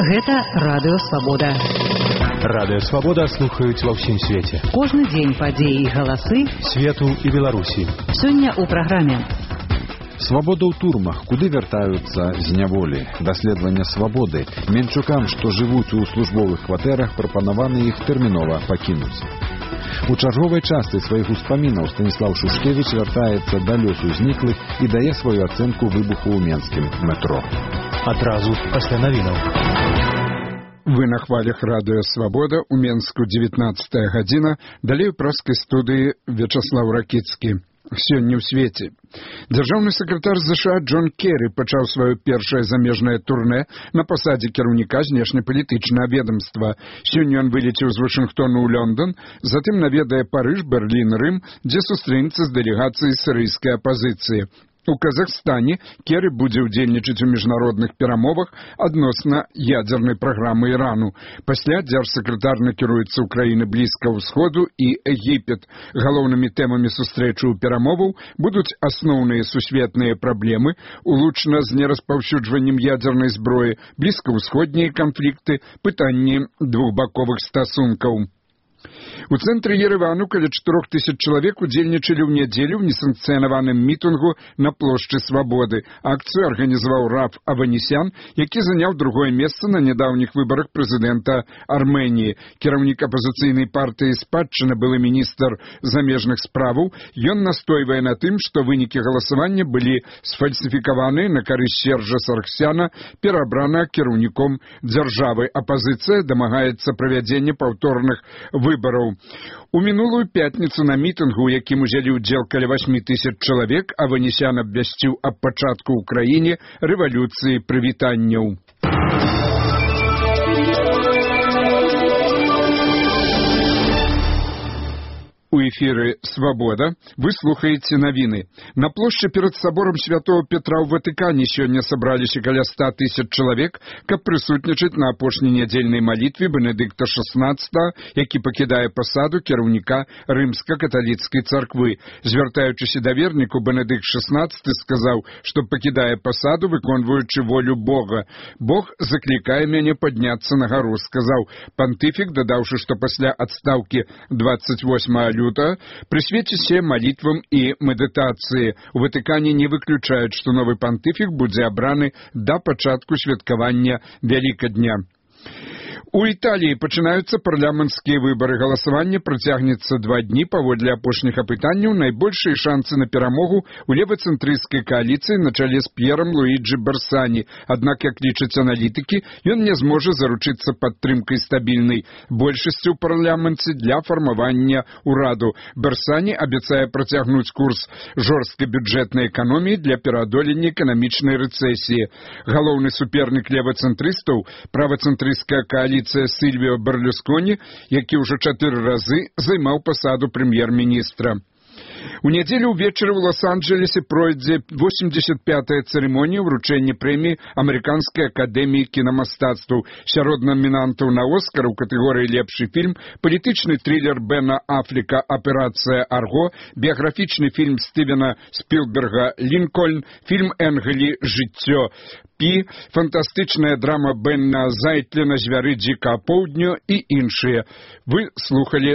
Гэта Радыё Свабода. Радыё Свабода слухаюць ва ўсім свеце. Кожны дзень падзеі і галасы свету і Беларусі. Сёння ў праграме Свабода ў турмах, куды вяртаюцца з няволі. Даследаванне свабоды. Менчукам, што жывуць у службовых кватэрах, прапанаваны іх тэрмінова пакінуць. У чарговай частцы сваіх успамінаў Станіслаў Шушкевіч вяртаецца да лёсу зніклых і дае сваю ацэнку выбуху ў менскім метро. Адразу пасля навінаў. Вы на хвалях Радыё Свабода, у Менску 19 гадзіна, далей у праскай студыі Вячаслаў Ракіцкі. Сёння ў свеце. Дзяржаўны сакратар ЗША Джон Керрі пачаў сваё першае замежнае турнэ на пасадзе кіраўніка знешнепалітычнага ведамства. Сёння ён вылеціў з Вашынгтону ў Лондон, затым наведае Парыж, Берлін, Рым, дзе сустрэнецца з дэлегацыяй сірыйскай апазіцыі. У Казахстане Керрі будзе ўдзельнічаць у міжнародных перамовах адносна ядзернай праграмы Ірану. Пасля дзяржсакратар накіруецца ў краіны Блізкага ўсходу і Егіпет. Галоўнымі тэмамі сустрэчы ў перамоваў будуць асноўныя сусветныя праблемы, улучна з нераспаўсюджваннем ядзернай зброі, блізкаўсходнія канфлікты, пытанні двухбаковых стасункаў. У цэнтры Еревану каля 4000 чалавек удзельнічалі ў нядзелю ў несанкцыянаваным мітынгу на плошчы Свабоды. Акцыю арганізаваў Раф Аванесян, які заняў другое месца на нядаўніх выбарах прэзідэнта Арменіі. Кіраўнік апазіцыйнай партыі «Спадчына», былы міністр замежных справаў, ён настойвае на тым, што вынікі галасавання былі сфальсіфікаваны на карысць Сержа Сарксяна, перабрана кіраўніком дзяржавы. Апазіцыя дамагаецца правядзення паўторных выбараў. У мінулую пятніцу на мітынгу, у якім узялі ўдзел каля 8000 чалавек, Аванесян абвясціў аб пачатку ў краіне рэвалюцыі прывітанняў. У эфіры «Свабода» вы слухаеце навіны. На плошчы перад саборам Святого Петра ў Ватыкане сёння сабраліся каля 100 000 чалавек, каб прысутнічаць на апошняй нядзельнай малітве Бенедыкта XVI, які пакідае пасаду кіраўніка рымска-каталіцкай царквы. Звяртаючыся да верніку, Бенедыкт XVI сказаў, што пакідае пасаду, выконваючы волю Бога. «Бог заклікае мяне падняцца на гару», сказаў пантыфік, дадаўшы, што пасля адстаўкі 28 прысвеціце малітвам і медытацыі. У Ватыкане не выключаюць, што новы пантыфік будзе абраны да пачатку святкавання Вялікадня. У Італіі пачынаюцца парламенцкія выбары. Галасаванне працягнецца 2 дні. Паводле апошніх апытанняў найбольшыя шанцы на перамогу у левацэнтрысцкай кааліцыі на чале з П'ерам Луіджі Берсані. Аднак, як лічаць аналітыкі, ён не зможа заручыцца падтрымкай стабільнай большасці ў парламенце для фармавання ўраду. Берсані абяцае працягнуць курс жорсткай бюджэтнай эканоміі для пераадолення эканамічнай рэцэсіі. Галоўны супернік левацэнтрыстаў, правацэнтрысцкая кааліцыя Сильвио Берлусконі, які ўжо 4 разы займаў пасаду прэм'ер-міністра. У нядзелю ўвечары ў Лос-Анджелесе пройдзе 85-я цырымонія ўручэння прэміі Амерыканскай акадэміі кінамастацтваў. Сярод намінантаў на Оскар у катэгорыі «Лепшы фільм» палітычны трылер Бена Афлека «Аперацыя Арго», біяграфічны фільм Стывена Спілберга «Лінкольн», фільм Энгелі «Жыццё Пі», фантастычная драма Бена Зайтлена «Звяры дзікага поўдню» і іншыя. Вы слухалі